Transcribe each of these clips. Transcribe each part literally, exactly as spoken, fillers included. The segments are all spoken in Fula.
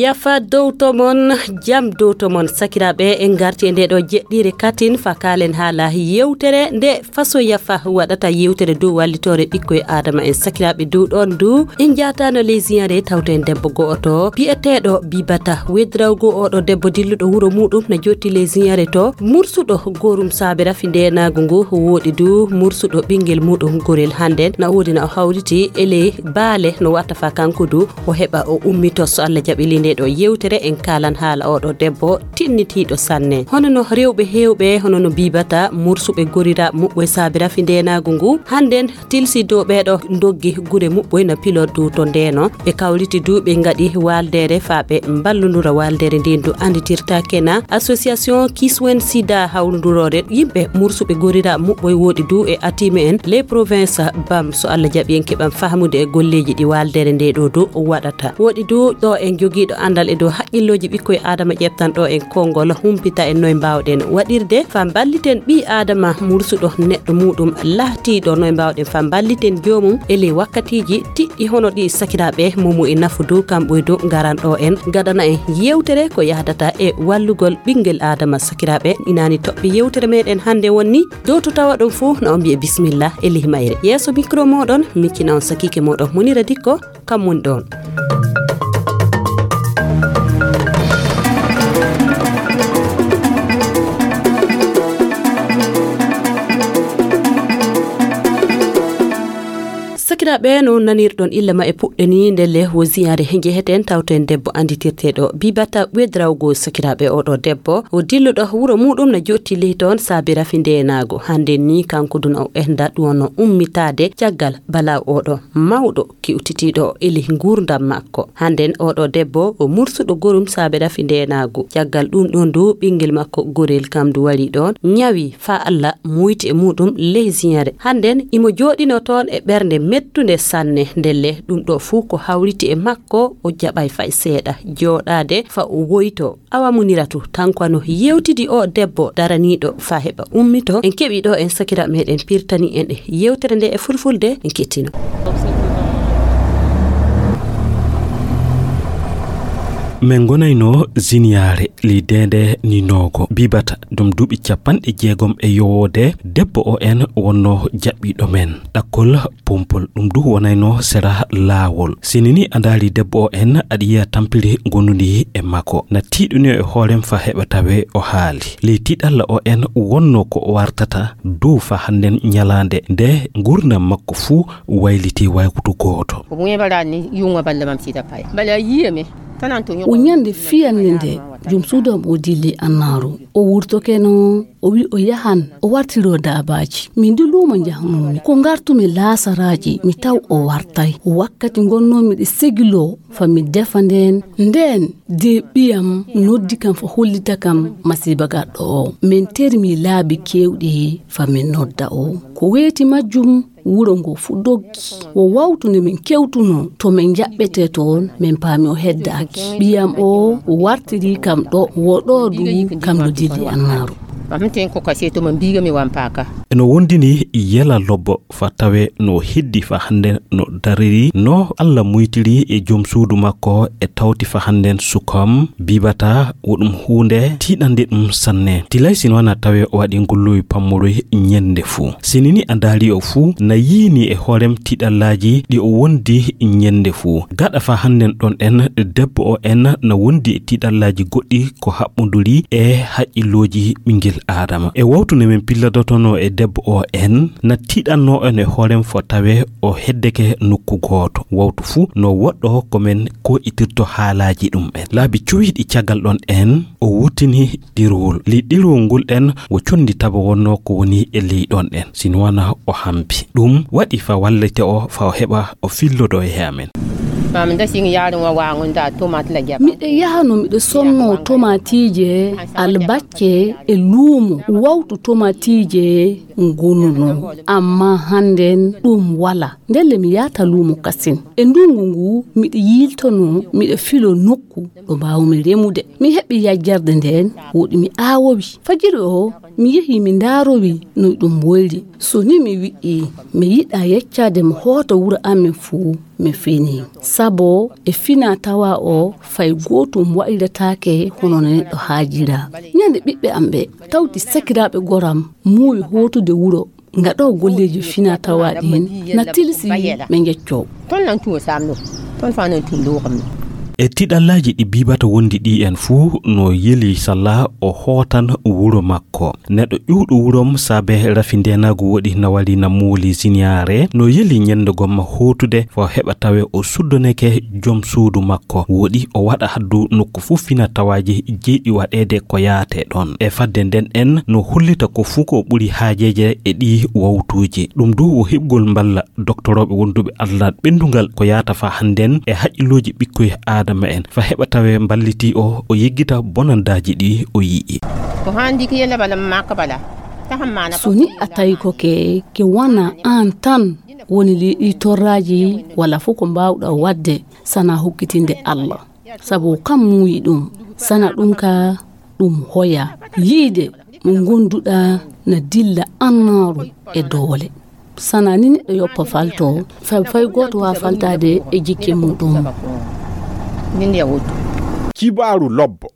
Yafa dow to mon, jam dow to mon, sakiraaɓe. En ngarti e nde ɗo jeɗɗiire katin fa kaalen haala yewtere nde faso yafa waɗata yewtere dow wallitoore ɓikkoy Aadama en. Sakiraaɓe, dow ɗon du, en njaataano ley ziyare tawto en debbo go'oto bi'eteeɗo Bibata Wedrawgo. Oɗo debbo dilluɗo wuro muɗum na jotti ley ziyare to, mursuɗo gorum saabe rafi ndeenaagu ngu, woɗi du mursuɗo ɓinngel muɗum gorel. Hannden na woodi na o hawriti e ley baale no watta fa kanko du o heɓa o ummito. So Allah jaɓi ley nde ɗo yewtere en kaalan haala oɗo debbo tinnitiiɗo sanne. Hono no rewɓe heewɓe, hono no Bibata, mursuɓe goriraaɓe muɓɓoy saabe rafi ndeenaagu ngu, hannden tilsi dow ɓeeɗo ndoggi gure muɓɓoy na piloddu to ndeeno. Ɓe kawriti du ɓe ngaɗi waaldeere fa ɓe mballundura waaldeere nden du annditirtaake na association Kiswen Sida hawrundurore yimɓe mursuɓe goriraaɓe muɓɓoy woɗi du e atiime en les province bam. So Allah jaɓi en keɓan fahmude e golleeji ɗi waaldeere nde ɗo du waɗata. Woɗi du ɗo en jogiiɗo anndal e dow haqqillooji ɓikkoy Aadama ƴeftan ɗo en konngol humpita en noy mbaawɗen waɗirde fa mballiten ɓii Aadama mursuɗo neɗɗo muɗum lahtiiɗo, noy mbaawɗen fa mballiten joomum e ley wakkatiiji tiɗɗi hono ɗi. Sakiraaɓe, momo e nafu du kamɓoy du ngaran ɗo en ngaɗana en yewtere ko yahdata e wallugol ɓinngel Aadama. Sakiraaɓe, inaani toɓɓe yewtere meɗen hannde wonni dow to tawa ɗum fuu na on mbi'e bisimilla e ley mayre. Yeeso micro moɗon miccina on sakiike moɗon Munira Dikko. Kam woni ɗon. Sakiraaɓe, no nanirɗon illa ma e puɗɗe ni, ndelle wo ziyaare he njeheten tawten debbo annditirteeɗo Bibata Wedrawgo. Sakiraaɓe, oɗo debbo o dilluɗo wuro muɗum na jotti ley toon saabi rafi ndeenaago. Hannden ni kanko dun o enda ɗum no ummitaade caggal bala oɗo mawɗo kiwtitiiɗo e ley nguurndam makko. Hannden oɗo debbo o mursuɗo gorum saabe rafi ndeenaagu. Caggal ɗum ɗon du ɓinngel makko gorel kam du wari ɗon, ñawi fa Allah muyti e muɗum ley ziyare. Hannden imo jooɗino toon e ɓernde mettunde sanne. Ndelle ɗum ɗo fuu ko hawriti e makko, o jaɓay fay seeɗa jooɗaade fa o woyto. Awa Muniratu, tan ko ano yewtidi o debbo daraniiɗo fa heɓa ummito. En keɓi ɗo en sakira meɗen pirtani en e yewtere nde e fulfulde, en kettino. Min ngonayno ziniyaare lideende ninoogo Bibata, ɗum duuɓi capanɗe jeegom e yowoode. Debbo o en wonno jaɓɓiiɗo men ɗakkol pompol, ɗum du wonayno sera laawol. Sini ni a ndaari debbo o en, aɗa yiya tampiri ngondundi e makko. Na tiiɗunio e hoorem fa heɓa tawe o haali. Ley tiiɗalla o en wonno ko o wartata dow fa hannden ñalaande nde nguurndam makko fuu wayliti waykutu gooto. Ko ɓe ɓe mbaɗani yuŋo balle mam sida pay. Bala yiye mi. O ñande fiyannde nde jom suudu am o dilli annaaru. O wurtoke no o wi o yahan o wartiro daabaaji. Min du luumo njahnoomi. Ko ngartumi laasaraaji mi taw o wartay. Wakkati ngonnoomi ɗe segiloo fa mi defa ndeen. Ndeen de ɓiyam noddi kam fa hollita kam masiiba garɗo o. Min termi laabi keewɗi fa min nodda o. Ko weeti majjum wuro ngo fu doggi. Wo wawtu nde min kewtunoo to min njaɓɓetee toon, min paami o heddaaki. Ɓiyam o wartiri kam ɗo, wo ɗo du kam no dilli annaaru. Amten ko kaseto mo mbiga mi wampaka. Eno wondini yela lobbo fa tawe no heddi fa hannden no dariri, no Allah muytiri e jom suudu makko e tawti fa hannden sukam Bibata, wo ɗum huunde tiiɗande ɗum sanne. Tilay sino wana tawe o waɗi ngulluwi pammuruy ñande fuu. Sinini a ndaari o fuu na yiini e hoorem tiiɗallaaji ɗi o wondi ñande fuu. Gaɗa fa hannden ɗon en, debbo o en na wondi e tiiɗallaaji goɗɗi ko haɓɓunduri e haqqillooji ɓinngel Aadama. E wawtunde men pilladotono e debbo o en, na tiiɗanno en e hoorem fo tawe o heddeke nokku gooto. Wawtu fuu no woɗɗo ko men ko itirto haalaaji ɗum en. Laabi cuwiiɗi caggal ɗon en, o wurtini ɗerwol. Ley ɗerwol ngol ɗen wo conndi taba wonno ko woni e ley ɗon ɗen. Sino wana o hampi. Ɗum waɗi fa wallete o fa o heɓa o fillodo e amen. Mam da sing yarin wa wangun da tomat la jaba. Miɗo yahano miɗo sonno tomatiije, albacce e luumo. Wawtu tomatiije ngonunoo. Amma hannden ɗum wala. Ndelle mi yaata luumo kasin. E ndungu ngu miɗo yiiltono miɗo filo nokku ɗo mbaawmi remude. Mi heɓi yajjarde nden, woɗi mi aawowi. Fajiri o, mi yehi mi ndaarowi no ɗum woyri. So ni mi wi'i, mi yiɗa yeccaade mo hoota wuro amen fuu, Mi fini. Sabo e fina tawa o fay gootum waɗirataake hono no neɗɗo haajira. Ñande ɓiɓɓe am ɓe tawti sakiraaɓe goram muuyi hootude wuro, ngaɗo golleeji fina tawa ɗin na tilsi ɓe ngeccoo. Ton nan tuwo samno. Ton fa nan tun lo kamno. E tiɗallaaji ɗi Biibata wondi ɗi en fuu, no yeli salla o hootan wuro makko. Neɗɗo ƴuwɗo wurom saabe rafi ndeenaagu woɗi na wali na mooli siniyaare, no yeli ñande gomma hootude fo heɓa tawe o suddoneke jom suudu makko. Woɗi o waɗa haddu nokku fuu fina tawaaji jeyɗi waɗeede ko yaate ɗon. E fadde nden en no hollita ko fuu ko ɓuri haajeeje e ɗi wawtuuji. Ɗum du wo heɓgol mballa doktorooɓe wonduɓe Allah ɓenndungal ko yaata fa hannden e haqqillooji ɓikkoy Aadama en. Fa heɓa tawe mballiti o, o yeggita bonandaaji ɗi o yi'i. Ko handi ki yella bala makka bala. Ta hammana. So ni a tawi ko ke, ke wana an tan woni li-, ɗi torraaji wala fof ko mbaawɗa waɗde sana hokkitinde Allah. Sabu kam muuyi ɗum, sana ɗum ka ɗum hoya. Yiide mo ngonduɗa na dilla annaaru e doole. Sana ni neɗɗo yoppa falto, fay, fay gooto waa faltaade e jikke muɗum. Min ya wottu. Kibaaru lobbo.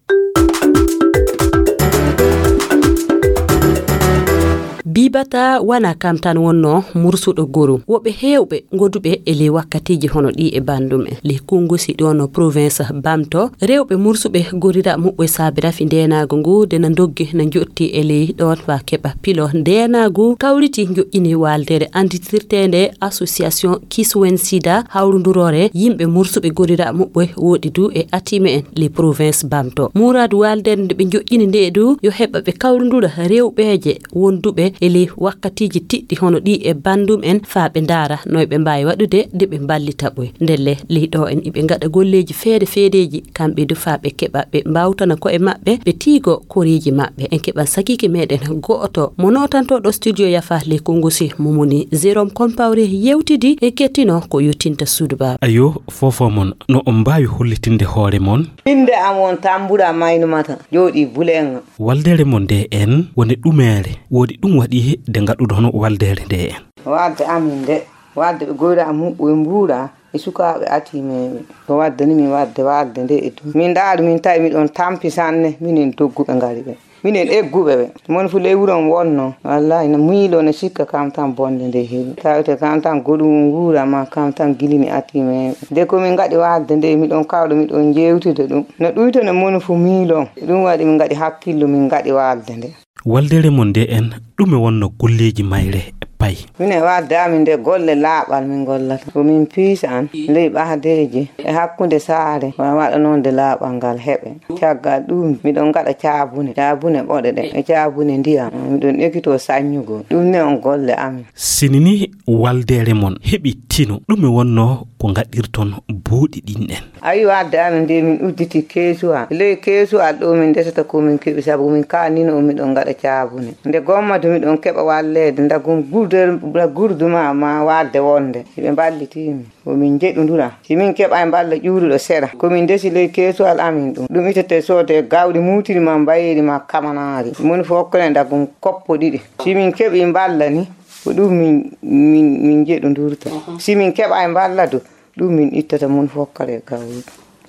Bibata wana kam tan wonno mursuɗo goru. Woɓɓe heewɓe goduɓe e ley wakkatiiji hono ɗi e banndum en. Ley Kongosi ɗo no province Bamto, rewɓe mursuɓe gorira muɓɓe saabi rafi ndeenaagu ngu de na ndoggi na njotti e ley ɗon fa keɓa pilo ndeenaagu kawriti njoƴƴini waaldere anditirteende Association Kiswen Sida hawrunduroore yimɓe mursuɓe gorira muɓɓe woɗi du e atime en ley province Bamto. Muradu waaldere nde ɓe njoƴƴini nde du yo heɓa ɓe kawrundura rewɓeeje wonduɓe e ley wakkatiiji tiɗɗi hono ɗi e banndum en faa ɓe ndaara no ɓe mbaawi waɗude de ɓe mballita ɓoy. Ndelle ley ɗo en iɓe ngaɗa golleeji feere feereeji kamɓe du faa ɓe keɓa ɓe mbaawtana ko'e maɓɓe ɓe tiigo koreeji maɓɓe. En keɓan sakiike meɗen go'oto mo nootantoɗo studio yafa ley Kongosi mo moni Jérôme Compaoré yewtidi e kettino ko yottinta suudu baaba. Ayo, fofo mon no on mbaawi hollitinde hoore mon? Innde am on Tambura Maynumata, jooɗi Bulenga. Waldere mon nde en woni ɗumeere, woodi ɗum waɗi de ngaɗuɗon waldere nde en? Wadde amin nde, wadde ɓe goyra am huɓɓo e mbuura e sukaaɓe atimeeɓe. Ko wadde ni min wadde wadde nde e ɗum. Min ndaari min tawi miɗon tampi sanne, minen dogguɓe ngari ɓe. Minen egguɓe ɓe. Mon fu ley wuron wonno. Wallahi no miilo no sikka kam tan bonde nde heewi. Tawte kam tan goɗum nguura ma kam tan gilini atimeeɓe. Nde ko min ngaɗi wadde nde miɗon kawɗo miɗon jeewtude ɗum. No ɗuyto no mon fu miilon. Ɗum waɗi min ngaɗi hakkillo min ngaɗi wadde nde. Waldere mon nde en, ɗume wonno golleeji mayre pay? Minen wadde amin nde golle laaɓal min gollata. Ko min piisa an, ley ɓahdeeji, e hakkunde saare, wa-, waɗa noon nde laaɓal ngal heɓe. Caggal ɗum, miɗon ngaɗa caabune, caabune ɓoɗe ɗe, e caabune ndiyam. Miɗon ekitoo saññugol. Ɗum ne on golle amin. Sinini waldere mon heɓi tino, ɗume wonno ko ngaɗirton buuɗi ɗin en? Ayi, wadde amin nde min udditi keesuwal. Ley keesuwal ɗo min ndesata ko min keɓi, sabu min kaanino on miɗon ngaɗa caabune. Nde gomma to miɗon keɓa walleede, ndagum gurder-, nda gurduma ma wadde wonde. Hiɓe mballiti min. Ko min njeɗundura. Si min keɓa e mballa ƴuuruɗo sera. Ko min ndesi ley keesuwal amin ɗum. Ɗum itete soode gawri muutiri ma mbayeeri ma kamanaari. Moni fof okkane ndagum koppo ɗiɗi. Si min keɓi mballa ni, ko ɗum min, min, min njeɗundurta. Si min keɓa e mballa du, ɗum min ittata mun fokkare gawri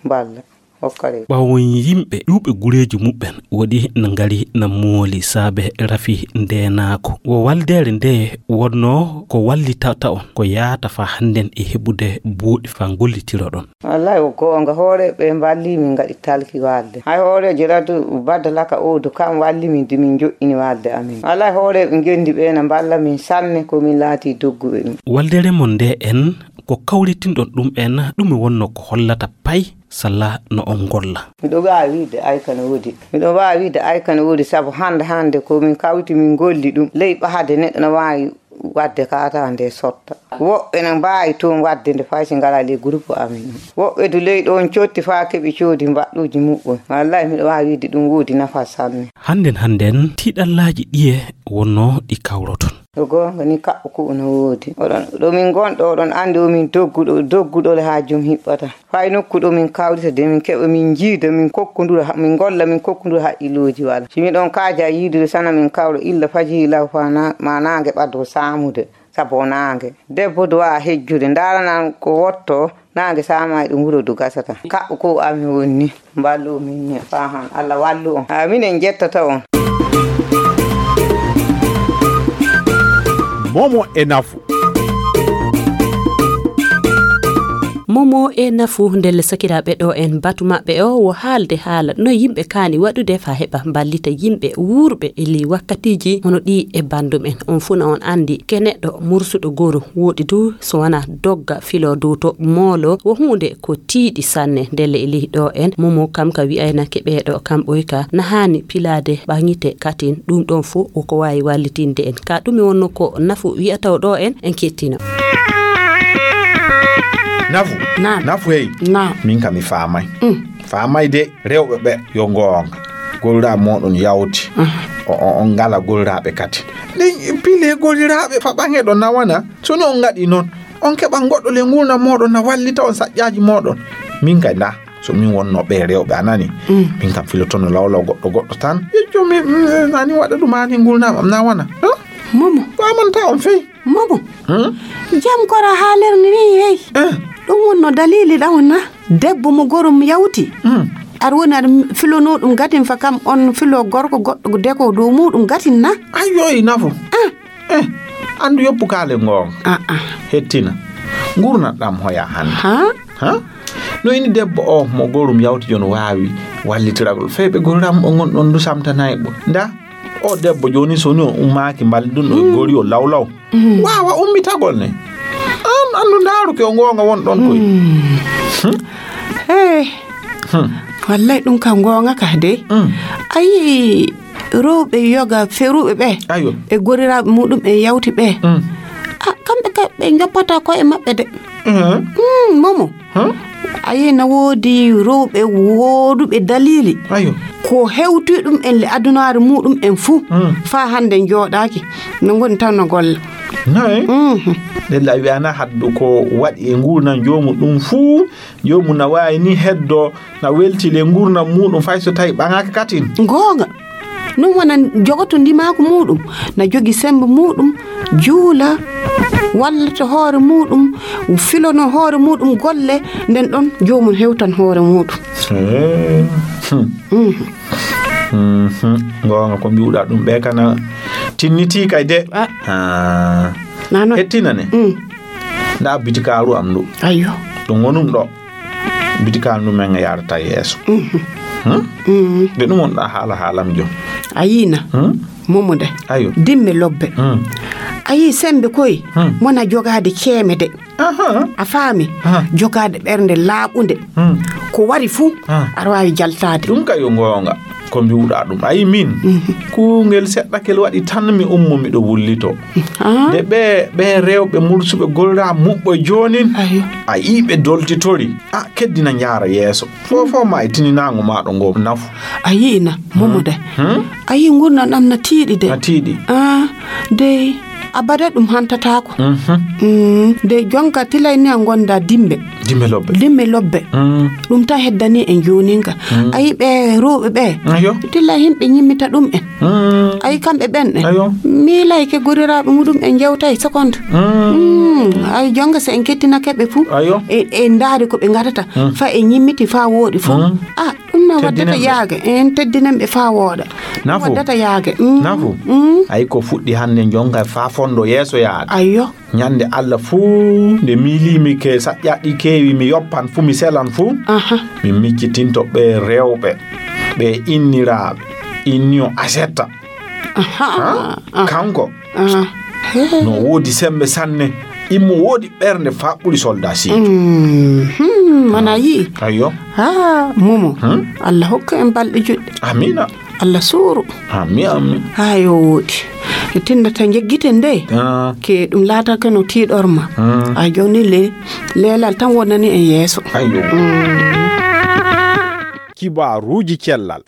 mballa. Hokkare. Ɓawon yimɓe ɗuuɓe gureeji muɓɓen woɗi na ngari na mooli saabe rafi ndeenaako. Wo waldere nde wonno ko wallitata on ko yaata fa hannden e heɓude buuɗi fa ngollitiroɗon. Wallahi wo goonga, hooreeɓe mballi min ngaɗi talki walde. Hay hooreejo Radu Badalaka Odo kam walli min de min joɗɗini walde amin. Wallahi hooreeɓe ngendi ɓe na mballa min sanne ko min laati dogguɓe ɗum. Waldere mon nde en ko kawritinɗon ɗum en, ɗume wonno ko hollata pay salla no on ngolla? Miɗo waawi wiide ay kane woodi. Miɗo waawi wiide ay kane woodi sabu hannde hannde ko min kawti min ngolli ɗum. Ley ɓahade neɗɗo no waawi wadde kaata nde sotta. Woɓɓe no mbaawi toon wadde nde fay si ngalaa ley groupe amin. Woɓɓe du ley ɗoon cotti faa keɓi coodi mbaɗɗuuji muɓɓen. Wallahi miɗo waawi wiide ɗum woodi nafa sanne. Hannden hannden tiiɗallaaji ɗiye wonno ɗi kawroton? Ko goonga ni kaɓɓo ko no woodi. Oɗon, ɗo min ngonɗo, oɗon anndi o min dogguɗo, dogguɗo le haa jom hiɓɓata. Fay nokku ɗo min kawrita de, min keɓa, min njiida, min kokkondura, ha-, min ngolla, min kokkondura haqqillooji wala. Si miɗon kaaja yiidude sana min kawra illa fajiri law faa na-, ma naange ɓaddo saamude. Sabo naange. Debbo duwaa hejjude. Ndaaranan ko wotto. Naange saama e ɗum wuro du gasata. Kaɓɓo ko ami woni ni. Mballu min ni. Fahan. Allah wallu on. Ah, minen jettata on. Momo e nafu. Momo e nafu ndelle sakiraaɓe ɗo en batu maɓɓe o wo haalde haala no yimɓe kaani waɗude fa heɓa mballita yimɓe wuurɓe e ley wakkatiiji hono ɗi e banndum en. On fuu na on anndi ke neɗɗo mursuɗo gooru woɗi du so wona dogga filo dow to moolo wo huunde ko tiiɗi sanne. Ndelle e ley ɗo en momo kam ka wi'aynake ɓeeɗo kam ɓoy ka na haani pilaade ɓaŋite katin ɗum ɗon fuu wo ko waawi wallitinde en ka ɗum e wonno ko nafu wi'ataw ɗo en en kettina. Nafu. Naam. Nafu hey. Naam. Min kam mi faamay. Mm. Faamay de rewɓe ɓe yo ngoonga. Golda moɗon yawti. Uh-huh. O on ngala goldaaɓe kati. Ɗin pile goldiraaɓe fa ɓaŋe ɗo nawana. So ni on ngaɗi noon on keɓa goɗɗo le ngurndan moɗon na wallita on saƴƴaaji moɗon. Min kay nda so min wonno ɓe rewɓe a nani. Mm. Min kam filotono lawlaw goɗɗo goɗɗo tan. Yejjo mi nani waɗa ɗum ani ngurndan am nawana. Huh? Momo. Famanta on fey. Momo. Jam kora haalirni ni hey. Ɗum wonno dalili ɗa wonna. Debbo mo gorum yawti. Aɗa woni aɗa filono ɗum gatin fa kam on filo gorko goɗɗo deko dow muɗum gatin na. Ayyo e nafo. Eh, andu yoppu kaale ngoonga. Aa. Hettina. Ngurnat ɗam hoya hannde. Ha? Ha? No ini debbo o mo gorum yawti jon waawi wallitiragol feyɓe goram o ngon ɗon du samtanayɓo. Nda. O debbo jooni so ni o ummaaki mballi ɗum ɗo e gori o lawlaw waawa ummitagol ne. An anndu ndaaru ke o ngoonga won ɗon koy. Hey. Wallay ɗum ka ngoonga ka de. A yii rewɓe yoga feruɓe ɓe. Ayo. E goriraaɓe muɗum en yawti ɓe. A kamɓe ka ɓe joppata koye maɓɓe de. Momo. A yii na woodi rewɓe wooduɓe daliili. Ayo. Ko hewti ɗum en le adunaare muɗum en fuu. Faa hannde jooɗaaki no ngoni tan no golla. Nayi. Ɗella wi'ana haddu ko waɗi e nguurnan joomu ɗum fuu. Joomu na waawi ni heddo na welti le nguurnan muɗum fay so tawi ɓaŋaaka katin. Ngoonga. Ɗum wona jogoto ndimaaku muɗum na jogi semmbe muɗum juula wallita hoore muɗum filono hoore muɗum golle nden ɗon joomum hewtan hoore muɗum. Ngoonga ko mbiwɗa ɗum ɓe kana tinniti kay de. Nano hettina ne. Nda bitikaaru am ɗo. Ayyo. Ɗum wonum ɗo. Bitikaaru ndu men yarata yeeso. De ɗum wonɗa haala haalam jom. A yiina. Momo de. Ayo. Dimme lobbe. A yii sembe koy. Mona jogaade ceeme de. A faami. Jogaade ɓernde laaɓunde. Ko wari fuu aɗa waawi jaltaade. Ɗum kay yo ngoonga. Ko mbiwɗa ɗum ayi min. Kuungel seɗɗakel waɗi tan mi ummo miɗo wullito. De ɓe ɓe rewɓe mursuɓe golda muɓɓo joonin. A yii ɓe doltitori. A keddina njaara yeeso. Fofo ma e tininaango maaɗo ngo nafu. A yi'ina momo de. A yii ngurndan ɗam na tiiɗi de. Na tiiɗi. A dey abada ɗum hantataako. De jonka tilay ni a gonda dimbe. Dimbe lobbe. Dimbe lobbe. Ɗum ta heddani en joninka. A yii ɓe rewɓe ɓe. Ayo. Tilay himɓe nyimmita ɗum en. Ay kamɓe ɓen ɗen miilayke goriraaɓe muɗum en jewtay seconde. Ay jonga so en kettinake ɓe fuu e ndaari ko ɓe ngatata fa e nyimmiti fa wooɗi fuu. A ɗum na waddata yaage en teddinan ɓe fa wooɗa. Nafu waddata yaage. Nafu. Ay ko fuɗɗi hannde jonga fa fondo yeeso yaade. Ayyo. Ñande Allah fuu nde miiliimi ke saƴƴaɗɗi keewi mi yoppan fuu mi selan fuu. Mi miccitinto ɓe rewɓe ɓe inniraaɓe inniyo asetta. Kanko no woodi sembe sanne. Immo woodi ɓernde faa ɓuri solda siitu. Mana yii. Ayyo. Haa momo. Allah hokka en balɗe juɗɗe. Amina. Allah suuru. Ammi ammi. Haa yo wooɗi. E tinnata njeggiten nde. Ke ɗum laatake no tiiɗorma. A jooni le leelal tan wonani en yeeso. Ayyo. Kibaaruuji cellal.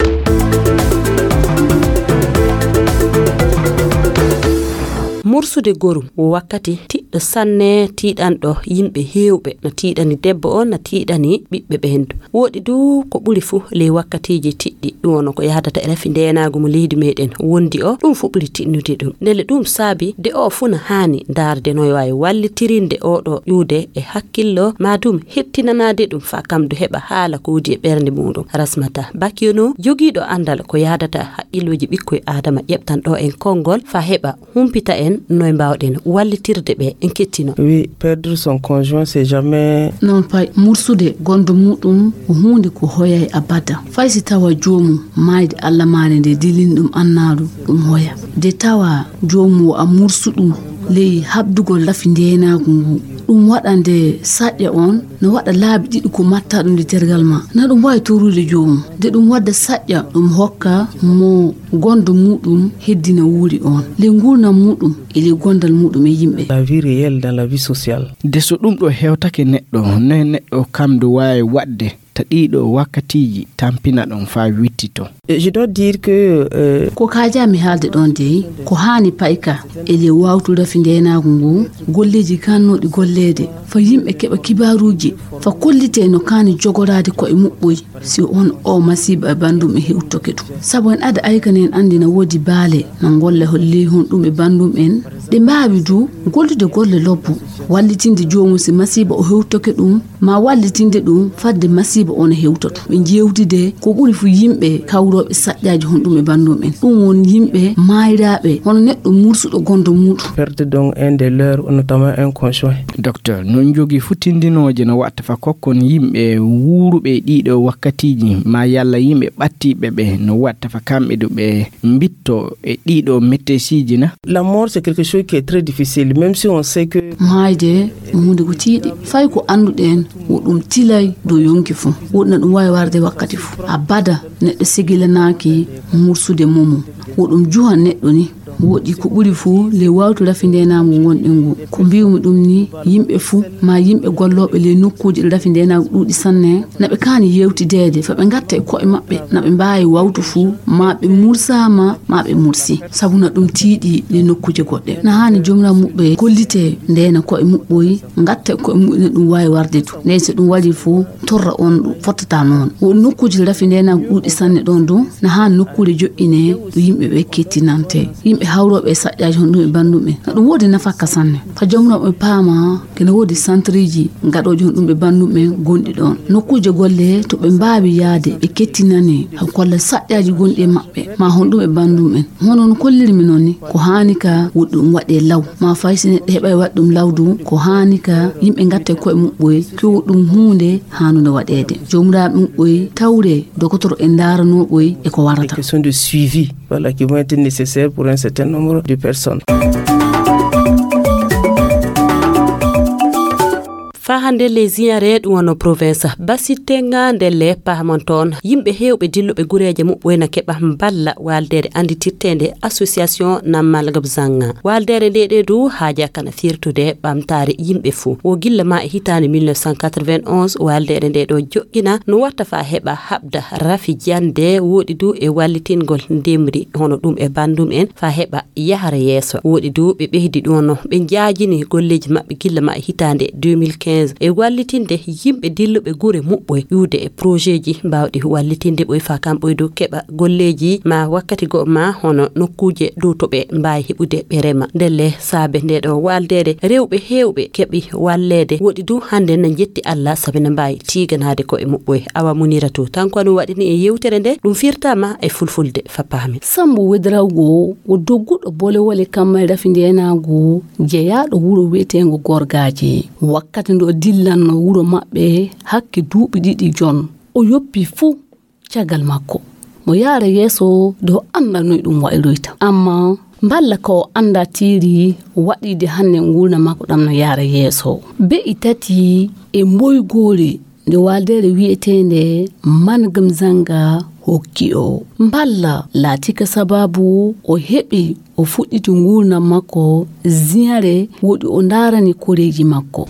Mursude gorum wo wakkati ti tiiɗɗo sanne, tiiɗanɗo yimɓe heewɓe, no tiiɗani debbo on, no tiiɗani ɓiɓɓe ɓeen du. Woɗi du ko ɓuri fuu ley wakkatiiji tiɗɗi, ɗum woni ko yahdata e rafi ndeenaagu mo leydi meeɗen wondi o, ɗum fuu ɓuri tiɗnude ɗum. Ndelle ɗum saabi de o fuu no haani ndaarde no waawi wallitirinde oo ɗoo ƴuwde e hakkillo, maa ɗum hettinanaade ɗum faa kam du heɓa haala ko woni e ɓernde muuɗum. Rasmata Bakiono, jogiiɗo anndal ko yahdata hakkillooji ɓikkoy Aadama, ƴeɓtan ɗo en konngol faa heɓa humpita en noy mbaawɗen wallitirde ɓe en kettino. Oui, perdre son conjoint, c'est jamais. Noon pay, mursude gondo muuɗum ko huunde ko hoyay abada. Fay si tawa joomum maayde Alla maare nde dilini ɗum annaalu, ɗum hoya. De tawa joomum o a mursuɗum ley habdugol rafi ndeenaagu ngu. Ɗum waɗa nde saƴƴa on no waɗa laabi ɗiɗi ko matta ɗum nde tergal ma. Na ɗum waawi torude joomum. De ɗum wadda saƴƴa ɗum hokka mo gondo muuɗum heddina wuuri on. Ley nguurndam muuɗum e ley gondal muuɗum e yimɓe. La vie réelle dans la vie sociale. De so ɗum ɗo hewtake neɗɗo, noy neɗɗo kam du waawi waɗde ta ɗiɗo wakkatiiji tampina ɗum faa wittito? Et je dois dire que, euh, ko kaajaa mi haalde ɗon dey, ko haani payka e ley waawtu rafi ndeenaagu ngu, golleeji kaannooɗi golleede, faa yimɓe keɓa kibaaruuji, faa kollitee no kaani jogoraade ko'e muɓɓoy. Si on o masiiba e banndum e hewtoke ɗum. Sabu en ada aykan en anndi na woodi baale na ngolla ley honɗum e banndum en. Ɗe mbaawi du gollude golle lobbo, wallitinde joomum si masiiba o hewtoke ɗum, maa wallitinde ɗum fadde masiiba on hewtoto. Ɓe njeewtide ko ɓuri fu yimɓe kawrooɓe saƴƴaaji honɗum e banndum en. Ɗum won yimɓe maayraaɓe, hono neɗɗo mursuɗo gondo muuɗum. Perdre donc un des leurs, notamment un conjoint. Docteur, no jogii fu tindinooje no watta fa kokkon yimɓe wuuruɓe e ɗiɗo wakkatiiji, maa yalla yimɓe ɓattiiɓe ɓe, no watta fa kamɓe du ɓe mbitto e ɗiɗo metteesiiji na? La mort, c'est quelque chose qui est très difficile, même si on sait que. Maayde ko huunde ko tiiɗi, fay ko annduɗen, wo ɗum tilay dow yonki fuu. Woɗna ɗum waawi warde wakkati fuu. Abada, neɗɗo segilanaaki mursude momum. Wo ɗum juhan neɗɗo ni. Woɗi ko ɓuri fuu ley waawtu rafi ndeenaagu ngonɗen ngu. Ko mbi'umi ɗum ni, yimɓe fuu, maa yimɓe gollooɓe ley nokkuuji ɗo rafi ndeenaagu ɗuuɗi sanne, na ɓe kaani yeewtideede, faa ɓe ngatta e ko'e maɓɓe, na ɓe mbaawi waawtu fuu, maa ɓe mursaama, maa ɓe mursi. Sabu na ɗum tiiɗi ley nokkuuje goɗɗe. Na haani jomiramuɓɓe kollitee ndeena ko'e muɓɓoy, ngatta e ko'e muɓɓe, na ɗum waawi warde du. Ndeen so ɗum waɗii fuu, torra on ɗum fottata noon. Wo nokkuuje rafi ndeenaagu ɗuuɗi sanne ɗoon du, na haa nokkuure joƴƴinee ɗo yimɓe ɓe kettinante. Yimɓe hawrooɓe e saƴƴaaji honɗum e banndum en. Na ɗum woodi nafakka sanne. Ka jomiraɓe paama, kene woodi santriiji gaɗooji honɗum e banndum en gonɗi ɗoon. Nokkuuje golle to ɓe mbaawi yaade, ɓe kettinane, haa kolla saƴƴaaji gonɗi e maɓɓe, maa honɗum e banndum en. Hono no kollirmi noon ni, ko haani ka woɗɗi ɗum waɗee law. Maa fay si neɗɗo heɓay waɗ ɗum law du, ko haani ka yimɓe ngatta e ko'e muɓɓoy, ko ɗum huunde haanunde waɗeede. Joomiraaɓe muɓɓoy tawree, dokotoro en ndaaranoo ɓoy e ko warata. Question de suivi, voilà, qui vont être nécessaires pour un certain nombre de personnes. Faa hannde ley Ziñare, ɗum wano province Basitenga, ndelle paamon toon, yimɓe heewɓe dilluɓe gureeje muɓɓoy na keɓa mballa waaldeere annditirteende Association Namal Gabzanga. Waaldeere nde ɗe du haaja kana firtude ɓamtaare yimɓe fuu. Wo gilla ma e hitaande mille neuf cent quatre-vingt-onze, waaldeere nde ɗo joƴƴina no watta faa heɓa haɓda rafi jannde, woɗi du e wallitingol ndemri hono ɗum e banndum en faa heɓa yahra yeeso. Woɗi du ɓe ɓeydi ɗum no ɓe njaajini golleeji maɓɓe gilla ma e hitaande deux mille quinze e wallitinde yimɓe dilluɓe gure muɓɓoy ƴuwde e projetji mbaawɗi wallitinde ɓoy faa kamɓoy du keɓa golleeji maa wakkati goo maa hono nokkuuje dow to ɓe mbaawi heɓude ɓe rema. Ndelle saabe nde ɗo waaldeere rewɓe heewɓe keɓi walleede. Woɗi du hannde na njetti Alla sabe na mbaawi tiiganaade ko'e muɓɓoy. Awa Muniratu Tanko no waɗini e yewtere nde, ɗum firtaama e fulfulde faa paami. Sambu Wedrawgo wo dogguɗo bolewole kammal rafi ndeenaagu jeyaaɗo wuro wi'eteengo Gorgaaji. Wakkati nde o dillanno wuro maɓɓe hakke duuɓi ɗiɗi jon, o yoppi fuu caggal makko. Mo yaara yeeso de o annda noy ɗum wayroyta. Amma mballa ka o annda tiiri waɗiide hannde nguurndam makko ɗam no yaara yeeso. Be'i tati e mboygoori nde waaldeere wi'eteende Mangam Zanga hokki o. Mballa laati ka sabaabu o heɓi o O fuɗɗiti nguurndam makko ziyare, woɗi o ndaarani koreeji makko.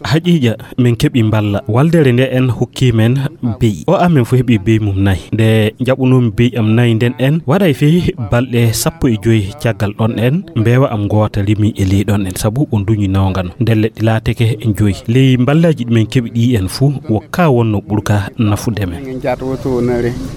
Haqiiqa, min keɓi mballa. Waldere nde en hokki men beyi. O amen fof heɓi beyi mum nayi. Nde jaɓunoomi beyi am nayi nden en, waɗay fii balɗe sappo e joyi caggal ɗon en, mbeewa am ngoota rimi e ley ɗon en, sabu o duñi nawngano. Nden leɗɗi laateke joyi. Ley mballaaji ɗi min keɓi ɗi en fuu, wo ka wonno ɓurka nafude men.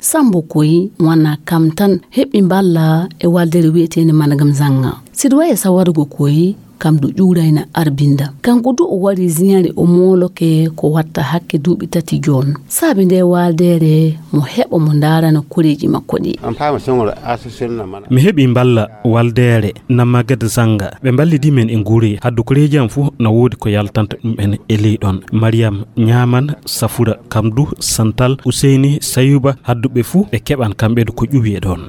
Sambo Koyi wona kam tan heɓi mballa e waldere wi'eteende Managam Zanga. Siɗo wayi e sawargo Koyi, kam du ƴuurayna arbinda. Kanko du o wari ziyare o mooloke ko watta hakke duuɓi tati joon. Saabi nde waldere mo heɓa mo ndaarana koreeji makko ɗi. Mi heɓi mballa waldere na Magad Zanga. Ɓe mballidi men e nguurey. Haddu koreeji am fuu na woodi ko yaltanta ɗum en e ley ɗon. Mariam Ñaaman, Safura Kamdu, Santal, Useyni, Sayuba, hadduɓe fuu ɓe keɓan kamɓe du ko ƴuwi e ɗon.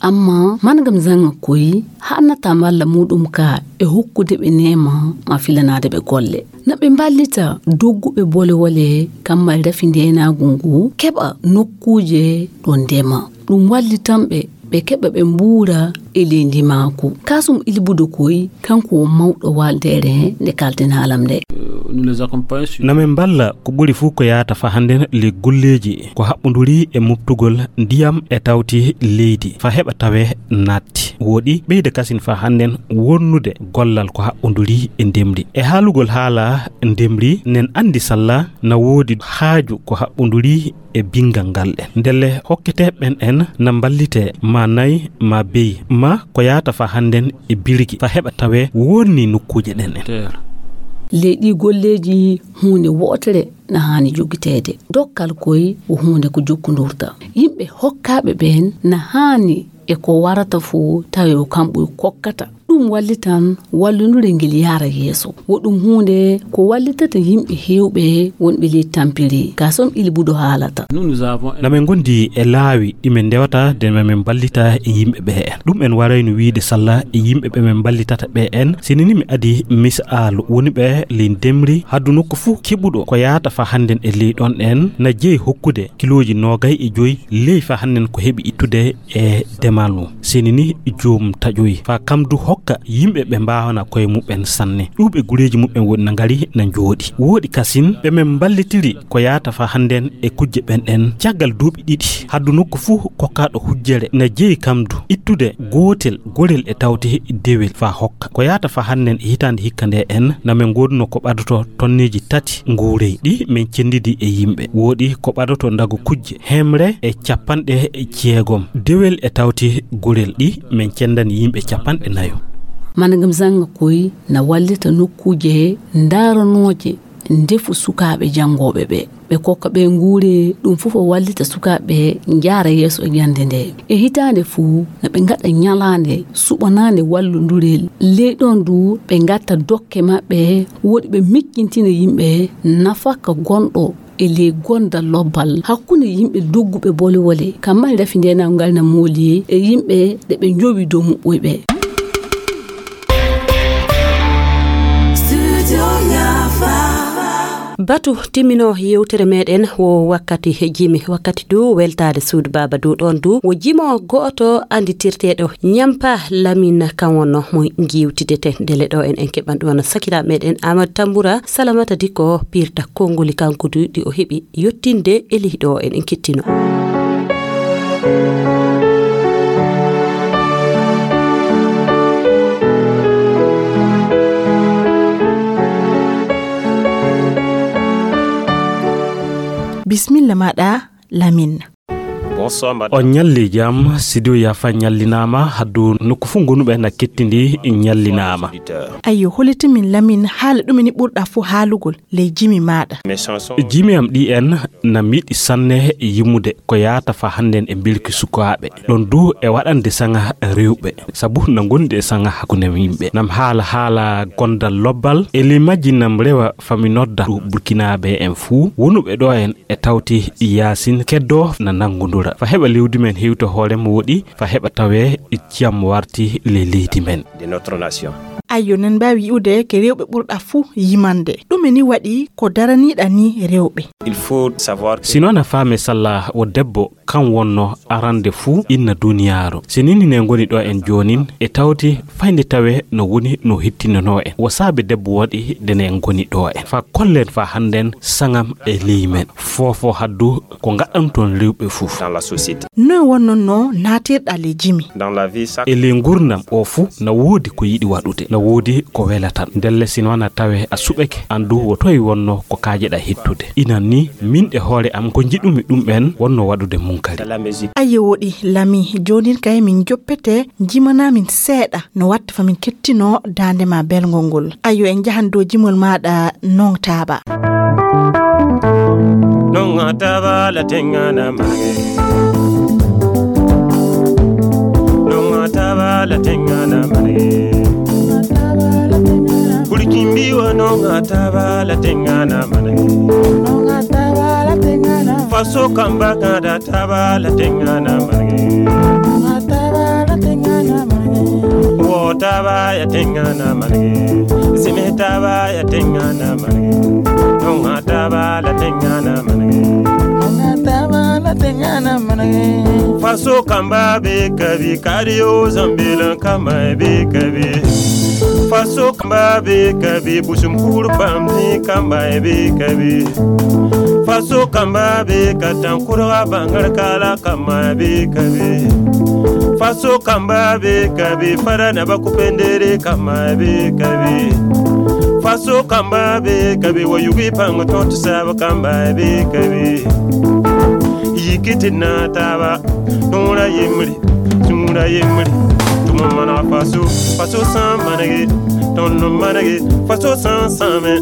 Amma Managam Zanga Koyi haɗnata mballa muɗum ka e hokkude ɓe neema ma filanaade ɓe golle. Na ɓe mballita dogguɓe bolewole kammal rafi ndeenaagu ngu keɓa nokkuuje ɗo ndema. Ɗum wallitan ɓe, ɓe keɓa ɓe mbuura e ley ndimaagu. Kasum Ilbudo Koyi, kanko o mawɗo waldere nde kalten haalam nde. Na min mballa ko ɓuri fuu ko yaata fa hannden ley golleeji ko haɓɓunduri e muɓtugol ndiyam e tawti leydi fa heɓa tawe naatti. Woɗi ɓeyda kasin fa hannden wonnude gollal ko haɓɓunduri e ndemri. E haalugol haala ndemri, nen anndi salla na woodi haaju ko haɓɓunduri e bingal ngal en. Ndelle hokkete ɓen en na mballite ma nayi ma beyi ma ko yaata fa hannden e birgi fa heɓa tawe wonni nokkuuje ɗen en. Ley ɗi golleeji huunde wootere na haani jogiteede. Dokkal Koyi wo huunde ko jokkundurta. Yimɓe hokkaaɓe ɓeen na haani e ko warata fof tawi ko kamɓe kokkata. Ɗum wallitan wallondure ngel yaara yeeso. Wo ɗum huunde ko wallitata yimɓe heewɓe wonɓe ley tampiri. Ka som Ilbudo haalata. Na min ngondi e laawi ɗi min ndewata de ma min mballita e yimɓe ɓe en. Ɗum en warayno wiide salla e yimɓe ɓe min mballitata ɓe en. Sinini mi adi misaalu woni ɓe ley ndemri haddu nokku fuu keɓuɗo ko yaata fa hannden e ley ɗon en na jeyi hokkude kilooji noogay e joyi ley fa hannden ko heɓi ittude e demal mum. Seni ni joom taƴoyi fa kam du hokka yimɓe ɓe mbaawana koye muɓɓen sanne. Ɗuuɓe gureeji muɓɓen woni na ngari na njooɗi. Wooɗi kasin ɓe men mballitiri ko yaata fa hannden e kujje ɓen ɗen. Caggal duuɓi ɗiɗi, haddu nokku fuu kokkaaɗo hujjere na jeyi kam du ittude gootel gorel e tawte dewel fa hokka. Ko yaata fa hannden e hitaande hikka nde en na men ngoodunoo ko ɓadoto tonneeji tati nguurey ɗi men cenndidi e yimɓe. Wooɗi ko ɓadoto ndago kujje hemre e capanɗe jeegom dewel e tawti gorel ɗi men cenndani yimɓe capanɗe nayo. Managam zanga koy na wallita nokkuuje ndaaranooje ndefu sukaaɓe janngooɓe ɓe. Ɓe kokka ɓe nguure, ɗum fof o wallita sukaaɓe njaara yeeso e jannde nde. E hitaande fuu na ɓe ngaɗa ñalaande suɓanaande wallondurel. Ley ɗoon du ɓe ngatta dokke maɓɓe, woɗi ɓe miccintina yimɓe nafaka gonɗo e ley gondal lobbal hakkunde yimɓe dogguɓe bolewole, kammal rafi ndeenaangal na mooli e yimɓe ɗe ɓe njowi dow muɓɓoy ɓe. Batu timmino yewtere meɗen wo wakkati jimi, wakkati du weltaade suudu baaba du ɗoon du wo jimo go'oto annditirteeɗo Ñampa Lamin kan wonno mo ngiwtidete ndele ɗo en en keɓan ɗum wona sakiraaɓe meɗen Amadou Tambura Salamata Dikko pirta konngoli kanko du ɗi o heɓi yottinde e leydi o en en kettino. Bismilla maɗa Lamin. On ñalli jam, Sidiyo Yafa ñallinaama, haddu nokku fof ngonuɓe na kettindi ñallinaama. Ayyo, holitimin Lamin haala ɗumini ɓurɗa fof haalugol ley jimi maɗa. Jimi am ɗi en na miɗi sanne yimmude ko yaata fa hannden e mbelki sukaaɓe. Ɗon du e waɗande saŋa rewɓe, sabu na ngondi e saŋa hakkunde yimɓe. Nam haala haala gondal lobbal, e ley majji nam rewa fa mi nodda burkinaaɓe en fuu wonuɓe ɗo en e tawti yaasin keddoo na nanngundura. Fa heɓa lewdi men hewta hoore mo woɗi, fa heɓa tawee jam warti ley leydi men. De notre nation. Ayyo, nen mbaawi yi'ude ke rewɓe ɓurɗa fuu yimande. Ɗume ni waɗi ko daraniiɗa ni rewɓe? Il faut savoir que Sino na faame salla wo debbo kan wonno arande fuu inna duniyaaru. Si nini ne ngoni ɗo en joonin, e tawti fayde tawe no woni no hittinanoo en. Wo saabe debbo waɗi de ne ngoni ɗo en. Fa kollen fa hannden sangam e ley men. Foofo haddu ko ngaɗanton rewɓe fuu. Dans la société. Noy wonnonno naatirɗa le jimi? Dans la vie, ça E ley ngurnam o fuu na woodi ko yiɗi waɗude, na woodi ko welatan. Ndelle sino na tawe a suɓeke, andu wo toy wonno ko kaajeɗa hittude. Inan ni, min e hoore am ko njiɗumi ɗum en wonno waɗude munkari. Dans la musique. Aye woɗi lami, joonin kay min joppete, jimana min seeɗa, no watta fa min kettino daande ma belngol ngol. Ayo en njahan dow jimol maaɗa non taaba. Nonga taba la tengana mange. Nonga taba la tengana mange. Kulikimbi wa nonga taba la tengana mange. Faso kamba kada taba la tengana mange. Wo taba ya tengana mange. Sime taba ya tengana mange. Nonga taba la tengana mange. Faso kamba be kabi, kario zambila kama be kabi. Faso kamba be kabi, busum kuru bambi kamba be kabi. Faso kamba be katankura bangar kala kama be kabi. Faso kamba be kabi, fara na bakupendere kama be kabi. Faso kamba be kabi, wayugi pango tontu saba kamba be kabi. Yikiti na taba, nura yimri, nura yimri. Tuma mana faso, faso san manage, tonno manage, faso san same,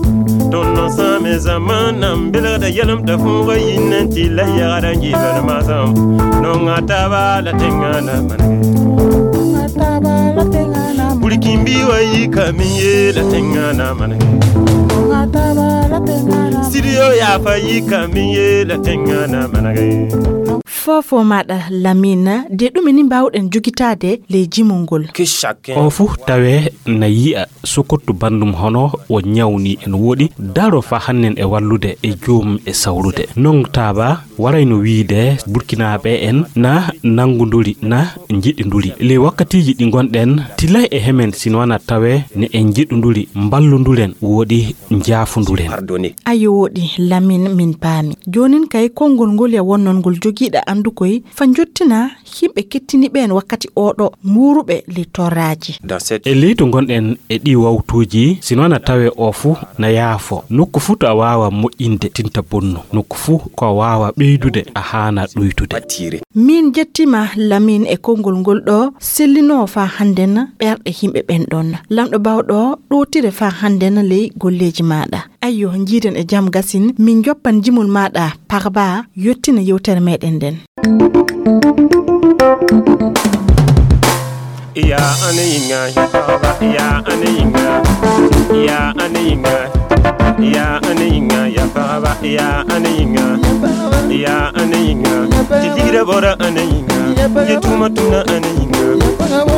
tonno same zaman nam bila da yalam da funga yinnen ti la yara ngi bana mazam. Nonga taba la tengana manage. Nonga taba la tengana manage. Bulikimbi wa yika miye la tengana manage. Nonga taba la tengana manage. Sidiyo ya fa yika miye la tengana manage. Foofo maaɗa Lamine, de ɗume ni mbaawɗen jogitaade ley jimol ngol? Que chacun O fuu tawee na yi'a sokottu banndum hono o ñawni en woɗi, daro fa hannen e wallude e joom e sawrude. Non taaba warayno wiide Burkinaaɓe en na nanngunduri, na njiɗinduri. Ley wakkatiiji ɗi ngonɗen, tilay e hemen sino na tawee ne en njiɗunduri, mballunduren woɗi njaafunduren. Pardonner. Ayo woɗi Lamine, min paami. Joonin kay konngol ngol ya wonnon ngol jogiiɗa anndu koy fa njottina yimɓe kettini ɓeen wakkati oɗo nguuruɓe ley torraaji. Dans cette E leydi ngonɗen e ɗi wawtuuji, sino na tawee o fuu na yaafo. Nokku fuu to a waawa moƴƴinde tinta bonnu. Nokku fuu ko a waawa ɓeydude a haana ɗuytude. Attirer. Min jettima Lamine e konngol ngol ɗo sellinoo fa hannden ɓerɗe yimɓe ɓen ɗon. Lamɗo bawɗo ɗowtire fa hannden ley golleeji maaɗa. Ayyo, njiiden e jam gasin, min joppan jimol maaɗa Parba yottina yewtere meɗen nden. Ya anayinga ya baba, ya anayinga, ya anayinga, ya anayinga ya baba, ya anayinga, ya anayinga. Tijira bora anayinga, ya tuma tuna anayinga,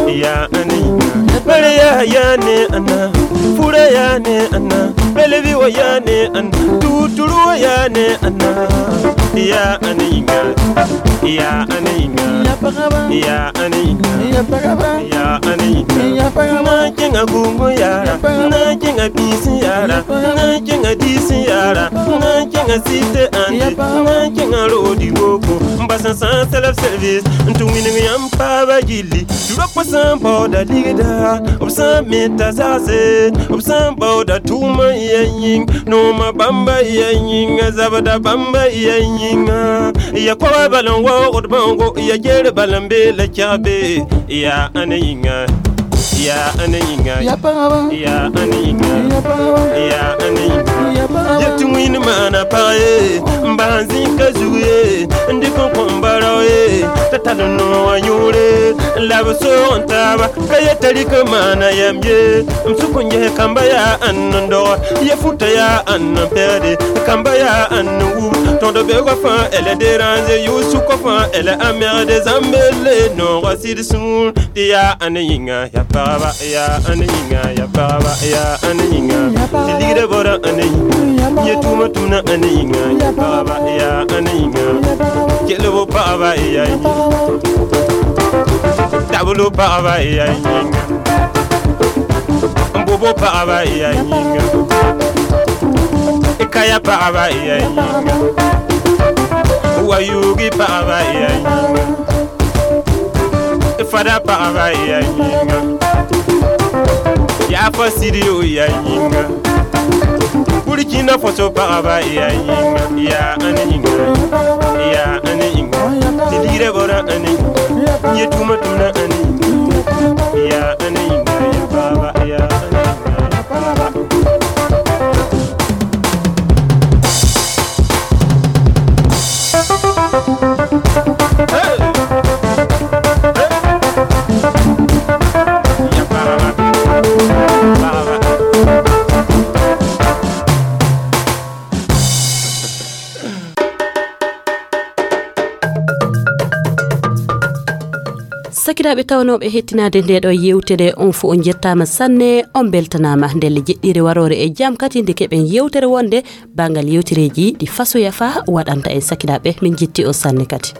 ya anayinga. Bere ya ya ne ana, fura ya ne ana, belebi wa ya ne ana, tuturu wa ya ne ana. Ya anayinga, ya anayinga, ya anayinga, ya anayinga. Na kinga gungo yara, na kinga bisi yara, na kinga disi yara, na kinga site ande, na kinga rodi woko. Mbasa sa self service, ntu winning yam paba gili. Rock for some powder digida, of some meta zase, of some powder tuma yanying, no ma bamba yanying, zabada bamba yanying. Ya kwa balon wa od bongo, ya jere balambe la chabe. Ya anayinga, ya anayinga, ya paraba, ya anayinga, ya paraba, ya anayinga. Ya paraba. Ya tumwin mana pae, mbanzi kazuye, ndiko kombarawe, tatalo no ayure. Laba soron taba, ka ya tari ka mana yam ye. M suku nje kamba ya annan do, ya futa ya annan perde, kamba ya annan wu. Tondo be ko fa, elle est dérangée, you suko fa, elle est emmerdée, zambele, non, racide sun. Ti ya anayinga, ya baba, ya anayinga, ya baba, ya anayinga. Ti ligida bora anayinga, ya tuma tuna anayinga, ya baba, ya anayinga. Kele bo baba, ya. Tabulu paɣaba iya yinga. Mbobo paɣaba iya yinga. Ikaya paɣaba iya yinga. Wayugi paɣaba iya yinga. Ifada paɣaba iya yinga. Yafa siriyo iya yinga. Burkina Faso paɣaba iya yinga. Iya ani yinga. Iya ani yinga. Tilire bora ani. Ye tuma tuna ani. Iya ani yinga. Ya baba iya ani yinga. Ya baba. Sakiraaɓe tawnooɓe hettinaade nde ɗo yewtere, on fof on njettaama sanne, on mbeltanaama ndelle jeɗɗiire waroore e jam kadi nde keɓen yewtere wonde banngal yewtereeji ɗi fasoya fa waɗanta en. Sakiraaɓe, min njetti on sanne kadi.